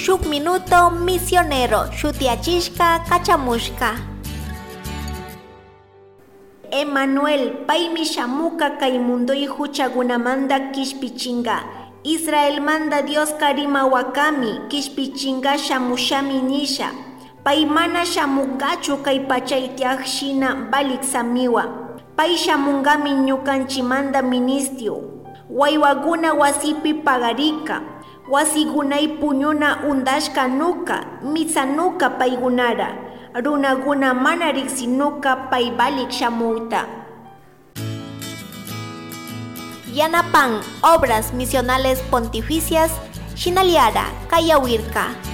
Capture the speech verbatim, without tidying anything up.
Shuk minuto misionero shutiachishka kachamushka. Emanuel, paymi shamuka kay mundoy huchagunamanda kishpichinga. Israelmanda Dioska rimawakami, kishpichinga shamushami nisha. Pay mana shamungachu kay pachay tiyaj shina valiksamiwa. Pay shamungami ñukanchimanda ministio, waywaguna wasipi pagarika, wasigunay puñuna undashka nuka, mitsa nuka paygunara, runaguna mana riksinuka pay valik shamukta. Yanapan Obras Misionales Pontificias shinallara kayawirka.